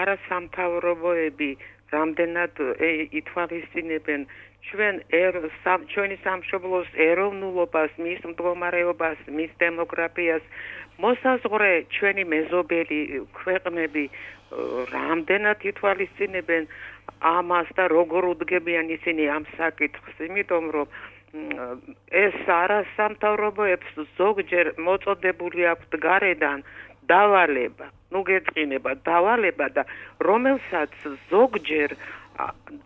არასამთავრობოები რამდენად ითვალისწინებენ ჩვენ ჩვენი სამშობლოს ეროვნულობას, მის მდგომარეობას, მის დემოგრაფიას, მოსაზღვრე ჩვენი მეზობელი ქვეყნები რამდენად ითვალისწინებენ ამას და როგორ უდგებიან ისინი ამ საკითხს, იმიტომ რომ ეს არასამთავრობოებს ზოგჯერ მოწოდებული აქვთ გარედან დავალება, ნუ გეწყინება დავალება და რომელსაც ზოგჯერ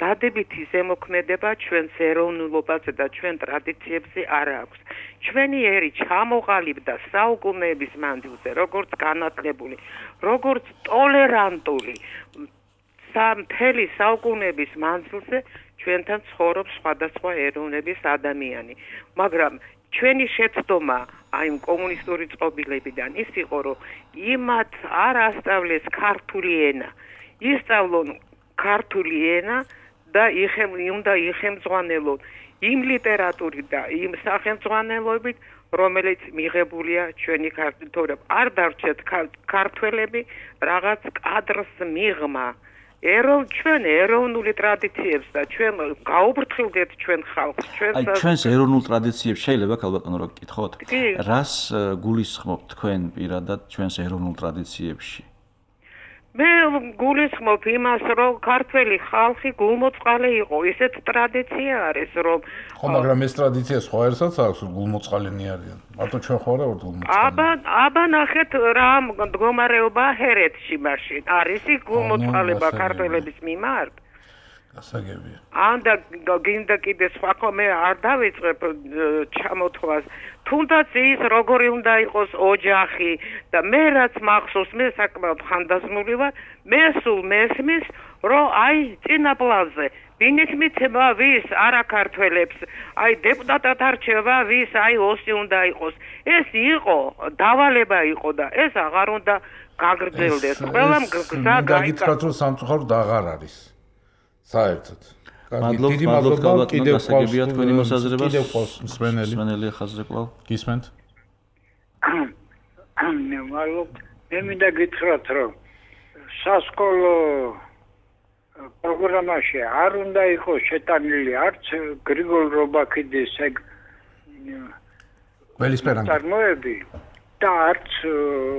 დადებითი ზემოქმედება ჩვენს ეროვნულობაზე და ჩვენ ტრადიციებზე არ აქვს. ჩვენი ერი ჩამოყალიბდა საუკუნეების მანძილზე, როგორც განათლებული, როგორც ტოლერანტული. მთელი საუკუნეების მანძილზე ჩვენთან ცხოვრობს სხვადასხვა ეროვნების ადამიანი. მაგრამ ჩვენი შეცდომა აი კომუნისტური წყობილებიდან ის იყო, რომ იმათ არ ასწავლეს ქართული ენა. ისწავლონ ქართული ენა და იხემ უნდა იხემძღვანელონ იმ ლიტერატურით და იმ სახელმძღვანელობით, რომელიც მიღებულია ჩვენი ქართველებმა. არ დარჩეთ ქართველები რაღაც კადრს მიღმა. ეროვნ ჩვენ ეროვნული ტრადიციებს და ჩვენ გაუბრთხილდეთ ჩვენ ხალხს, ჩვენ აი ჩვენს ეროვნულ ტრადიციებს შეიძლება ქალბატონო რო გკითხოთ? რას გულისხმობთ თქვენ პირადად ჩვენს ეროვნულ ტრადიციებში? მე გულისხმობ იმას, რომ ქართველი ხალხი გულმოწყალე იყო. ისეთ ტრადიცია არის, რომ ხო, მაგრამ ეს ტრადიცია სხვა ერთსაც აქვს, გულმოწყალენი არიან. მარტო ჩვენ ხო არა ვართ გულმოწყალე. აბა, აბა ნახეთ რა მდგომარეობა ჰერეთში მაშინ. არის ის გულმოწყალება ქართველების მიმართ? გასაგებია. ანდა გინდა კიდე სხვა ხომე არ დავიწყებ ჩამოთვლას. თუნდაც ის როგორი უნდა იყოს ოჯახი და მე რაც მახსოვს, მე საკმაოდ ხანდაზმული ვარ, მე სულ მესმის, რომ აი წინა პლანზე ვინით მიცემა ვის არაქართველებს, აი დეპუტატად არჩევა ვის, აი ოსი უნდა იყოს. ეს იყო დავალება იყო და ეს აღარ უნდა გაგრძელდეს. ყველამ გზა გაიგეთ, რომ სამწუხაროდ აღარ არის. საერთოდ. მადლობთ, დიდი მადლობა კიდევ გასაგებია თქვენი მოსაზრება. კიდევ ყავს მსმენელი. მსმენელი ხაზზე კვლავ. გისმენთ? მე მადლობ. მე მინდა გითხრათ, რომ სასკოლო პროგრამაში არ უნდა იყოს შეტანილი არც გრიგოლ რობაქიძის ეგ გველისპერანგი წარმოები და არც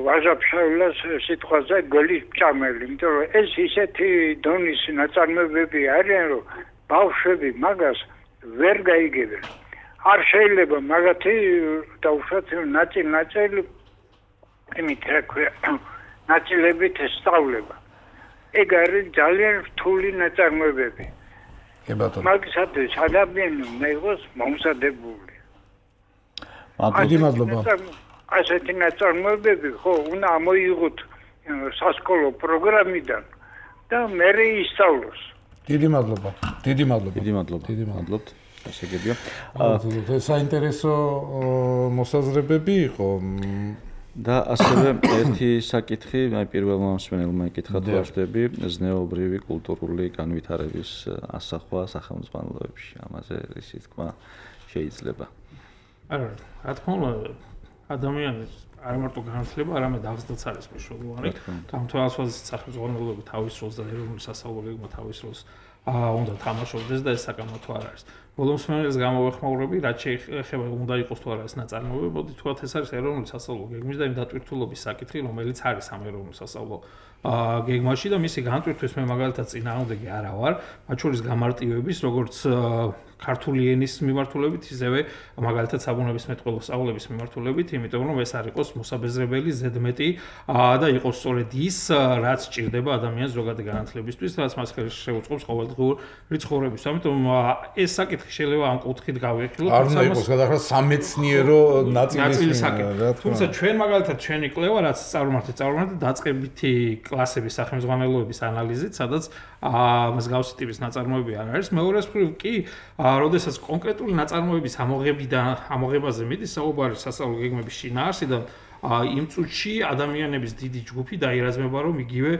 ვაჟაფშავილას სიტყვაზე გველის ჭამელი, იმიტომ რომ ეს ისეთი დონის ნაწარმოებები არიან, რომ ბავშვები მაგას ვერ გაიგებენ. არ შეიძლება მაგათი დაუშვათ ნაწილ-ნაწილ იმით რა ქვია ნაწილებით სწავლება. ეგ არის ძალიან რთული ნაწარმოებები. კი ბატონო. მაგისათვის ადამიანი უნდა იყოს მომზადებული. დიდი მადლობა. ასეთი ნაწარმოებები ხო უნდა ამოიღოთ სასკოლო პროგრამიდან და მერე ისწავლოს. დიდი მადლობა. დიდი მადლობა. დიდი მადლობა. დიდი მადლობთ. გასაგებია. ეს საინტერესო მოსაზრებები იყო. და ასევე ერთი საკითხი, აი პირველმა მსმენელმა ეკითხა თუ არსებები ზნეობრივი კულტურული განვითარების ასახვა სახელმძღვანელოებში. ამაზე ისი თქვა შეიძლება. არა, რა თქმა უნდა, ადამიანის არ მარტო განათლება, არამედ აღზრდაც არის მნიშვნელოვანი. ამ თვალსაზრისით სახელმძღვანელოები თავის როლს და ეროვნული სასწავლო გეგმა თავის როლს უნდა თამაშობდეს და ეს საკამათო არ არის. ბოლო მსმენელს გამოვეხმაურები, რაც შეეხება უნდა იყოს თუ არა ეს ნაწარმოები, მოდი თქვათ ეს არის ეროვნული სასწავლო გეგმის და იმ დატვირთულობის საკითხი, რომელიც არის ამ ეროვნულ სასწავლო გეგმაში და მისი განტვირთვის მე მაგალითად წინააღმდეგი არა ვარ, მათ შორის გამარტივების, როგორც ქართული ენის მიმართულებით, ისევე მაგალითად საბუნებისმეტყველო სწავლების მიმართულებით, იმიტომ რომ ეს არ იყოს მოსაბეზრებელი ზედმეტი და იყოს სწორედ ის, რაც სჭირდება ადამიანის ზოგადი განათლებისთვის, რაც მას შეუწყობს ყოველდღიური ცხოვრების. ამიტომ ეს საკითხი შეიძლება ამ კუთხით გავიხილოთ. არ უნდა იყოს გადახრა სამეცნიერო ნაწილის საკითხი. თუმცა ჩვენ მაგალითად ჩვენი კვლევა, რაც წარმართით, წარმართით დაწყებითი კლასების სახელმძღვანელოების ანალიზით, სადაც მსგავსი ტიპის ნაწარმოები არ არის. მეორეს მხრივ კი როდესაც კონკრეტული ნაწარმოების ამოღებიდან ამოღებაზე მიდის საუბარი სასწავლო გეგმების შინაარსიდან, იმ წუთში ადამიანების დიდი ჯგუფი დაირაზმება, რომ იგივე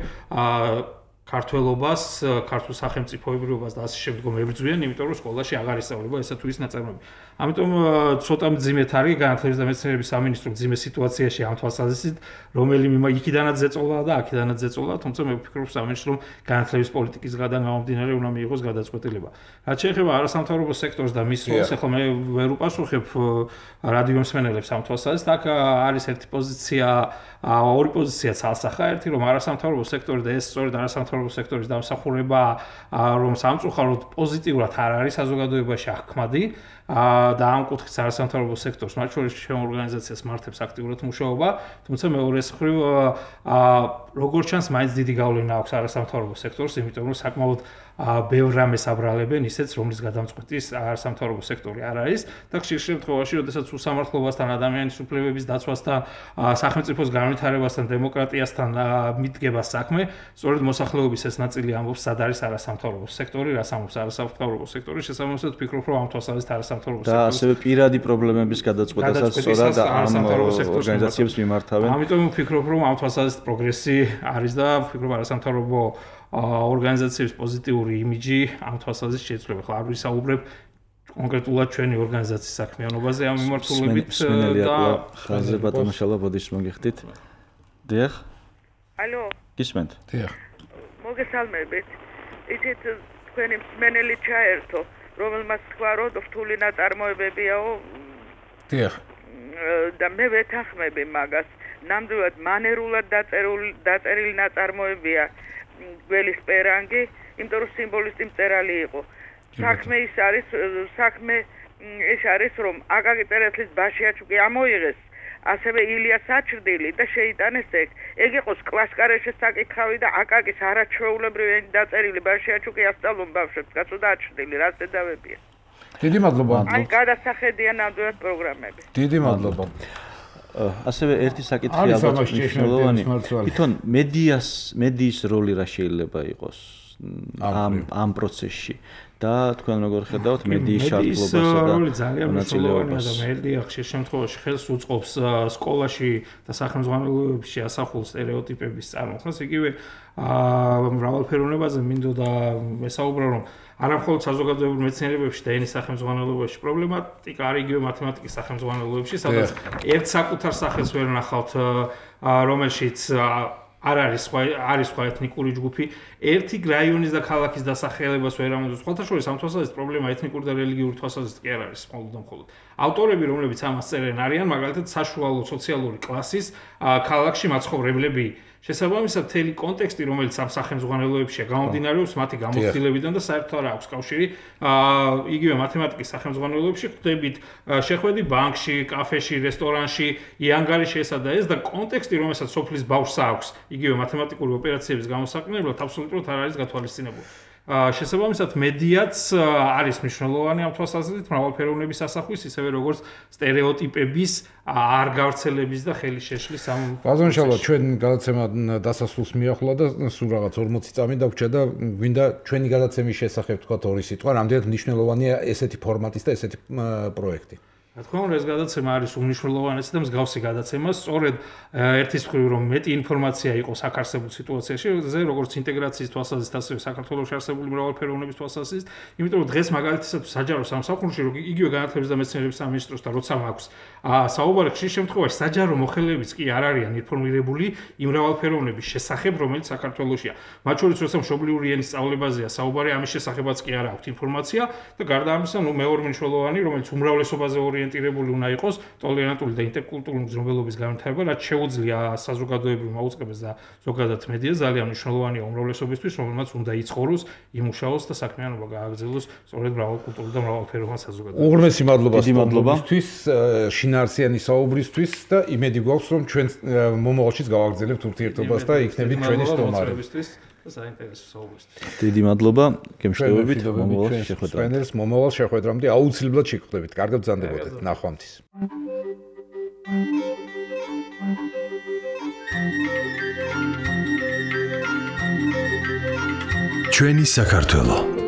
ქართველობას, ქართულ სახელმწიფოებრიობას და ასე შემდგომ ებრძვიან, იმიტომ რომ სკოლაში აღარ ისწავლება ესა თუ ის ნაწარმოები. ამიტომ ცოტა მძიმედ არის განათლების და მეცნიერების სამინისტრო მძიმე სიტუაციაში ამ თვალსაზრისით, რომელიმე იქიდანაც ზეწოლა და აქიდანაც ზეწოლა, თუმცა მე ვფიქრობ სამინისტრომ განათლების პოლიტიკისგან გამომდინარე უნდა მიიღოს გადაწყვეტილება. რაც შეეხება არასამთავრობო სექტორს და მის როლს, ახლა მე ვერ უპასუხებ რადიო მსმენელებს ამ თვალსაზრისით, აქ არის ერთი პოზიცია, ორი პოზიცია ცალსახა, ერთი რომ არასამთავრობო სექტორი და ეს სწორედ არასამთავრობო სექტორის დამსახურება, რომ სამწუხაროდ პოზიტიურად არ არის საზოგადოებაში აღქმადი. და ამ კუთხით არასამთავრობო სექტორს, მათ შორის ჩემ ორგანიზაციას მართებს აქტიურად მუშაობა, თუმცა მეორე მხრივ როგორც ჩანს, მაინც დიდი გავლენა აქვს არასამთავრობო სექტორს, იმიტომ რომ საკმაოდ ბევრ რამეს აბრალებენ ისეც, რომლის გადამწყვეტის არასამთავრობო სექტორი არ არის და ხშირ შემთხვევაში, როდესაც უსამართლობასთან, ადამიანის უფლებების დაცვასთან, სახელმწიფოს განვითარებასთან, დემოკრატიასთან მიდგება საქმე, სწორედ მოსახლეობის ეს ნაწილი ამბობს, სად არის არასამთავრობო სექტორი, რას ამბობს არასამთავრობო სექტორი, შესაბამისად ვფიქრობ, რომ ამ თვალსაზრისით არასამთავრობო სექტორი და ასევე პირადი პრობლემების გადაწყვეტასაც სწორად ამ ორგანიზაციებს მიმართავენ. ამიტომ ვფიქრობ, რომ ამ თვალსაზრისით პროგრესი არის და ვფიქრობ არასამთავრობო ორგანიზაციების პოზიტიური იმიჯი ამ თვალსაზრისით შეიცვლება. ხლა არ ვისაუბრებ კონკრეტულად ჩვენი ორგანიზაციის საქმიანობაზე ამ მიმართულებით და ხაზზე ბატონო შალაბოდის მოგიხდით. დიახ. ალო. გისმენთ. დიახ. მოგესალმებით. იცით თქვენი მსმენელი ჩაერთო, რომელმაც თქვა, რომ რთული ნაწარმოებებიაო. დიახ. და მე ვეთანხმები მაგას. ნამდვილად მანერულად დაწერილი დაწერილი ნაწარმოებია გველის პერანგი, იმიტომ რომ სიმბოლისტი მწერალი იყო. საქმე ის არის, საქმე ეს არის, რომ აკაკი წერეთლის ბაშიაჩუკი ამოიღეს, ასევე ილია საჩრდილი და შეიტანეს ეგ. ეგ იყოს კლასკარეშე საკითხავი და აკაკის არაჩვეულებრივი დაწერილი ბაშიაჩუკი ასწავლონ ბავშვებს, კაცო და აჩრდილი, რას დედავებია. დიდი მადლობა. აი გადასახედია ნამდვილად პროგრამები. დიდი მადლობა. ასევე ერთი საკითხი ალბათ მნიშვნელოვანი. თვითონ მედიას, მედიის როლი რა შეიძლება იყოს ამ ამ პროცესში და თქვენ როგორ ხედავთ მედიის შარდლობასა და როლი ძალიან მნიშვნელოვანია და მედია ხშირ შემთხვევაში ხელს უწყობს სკოლაში და სახელმძღვანელოებში ასახულ სტერეოტიპების წარმოქმნას. იგივე მრავალფეროვნებაზე მინდოდა მესაუბრა, რომ არა მხოლოდ საზოგადოებრივ მეცნიერებებში და ენის სახელმძღვანელოებში პრობლემატიკა არის იგივე მათემატიკის სახელმძღვანელოებში, სადაც ერთ საკუთარ სახელს ვერ ნახავთ, რომელშიც არ არის სხვა არის სხვა ეთნიკური ჯგუფი, ერთი რაიონის და ქალაქის დასახელებას ვერ ამოწმებს. სხვათა შორის ამ თვალსაზრისით პრობლემა ეთნიკური და რელიგიური თვალსაზრისით კი არ არის მხოლოდ და მხოლოდ. ავტორები, რომლებიც ამას წერენ, არიან მაგალითად საშუალო სოციალური კლასის ქალაქში მაცხოვრებლები. შესაბამისად, მთელი კონტექსტი, რომელიც ამ სახელმძღვანელოებშია, გამომდინარეობს მათი გამოცდილებიდან და საერთოდ არ აქვს კავშირი. იგივე მათემატიკის სახელმძღვანელოებში ხდებით შეხვედი ბანკში, კაფეში, რესტორანში, იანგარიში ესა და ეს და კონტექსტი, რომელსაც სოფლის ბავშვს აქვს, იგივე მათემატიკური ოპერაციების გამოსაყენებლად აბსოლუტურად არ არის გათვალისწინებული. შესაბამისად, მედიაც არის მნიშვნელოვანი ამ თვალსაზრისით მრავალფეროვნების ასახვის, ისევე როგორც სტერეოტიპების არ გავრცელების და ხელის შეშლის ამ. ბაზონ შალვა, ჩვენ გადაცემა დასასრულს მიახლა და სულ რაღაც ორმოცი წამი დაგვჭირდა და გვინდა ჩვენი გადაცემის შესახებ თქვათ ორი სიტყვა, რამდენად მნიშვნელოვანია ესეთი ფორმატის და ესეთი პროექტი. რა თქმა უნდა, ეს გადაცემა არის უმნიშვნელოვანესი და მსგავსი გადაცემა, სწორედ ერთის მხრივ რომ მეტი ინფორმაცია იყოს აქ არსებულ სიტუაციაში, როგორც ინტეგრაციის თვალსაზრისით, ასევე საქართველოში არსებული მრავალფეროვნების თვალსაზრისით, იმიტომ რომ დღეს მაგალითად საჯარო სამსახურში, რომ იგივე განათლების და მეცნიერების სამინისტროსთან როცა მაქვს საუბარი, ხშირ შემთხვევაში საჯარო მოხელებიც კი არ არიან ინფორმირებული იმ მრავალფეროვნების შესახებ, რომელიც საქართველოშია. მათ შორის როცა მშობლიური ენის სწავლებაზეა საუბარი, ამის შესახებაც კი არ აქვს ინფორმაცია და გარდა ამისა, ნუ მეორე მნიშვნელოვანი, რომელიც უმრავლესობაზე ორიენტირებული უნდა იყოს, ტოლერანტული და ინტერკულტურული მგზნობელობის განვითარება, რაც შეუძლია საზოგადოებრივ მაუწყებელს და ზოგადად მედიას ძალიან მნიშვნელოვანია უმრავლესობისთვის, რომელმაც უნდა იცხოვროს, იმუშაოს და საქმიანობა გააგრძელოს სწორედ მრავალკულტურულ და მრავალფეროვან საზოგადოებაში. უღრმესი მადლობა სტუმრობისთვის, შინაარსიანი საუბრისთვის და იმედი გვაქვს, რომ ჩვენ მომავალშიც გავაგრძელებთ ურთიერთობას და იქნებით ჩვენი სტუმარი. საინტერესო საუბრისთვის. დიდი მადლობა, გემშვიდობებით, მომავალ შეხვედრამდე. ჩვენს მომავალ შეხვედრამდე აუცილებლად შეგხვდებით. კარგად ბრძანდებოდეთ. ნახვამდის. ჩვენი საქართველო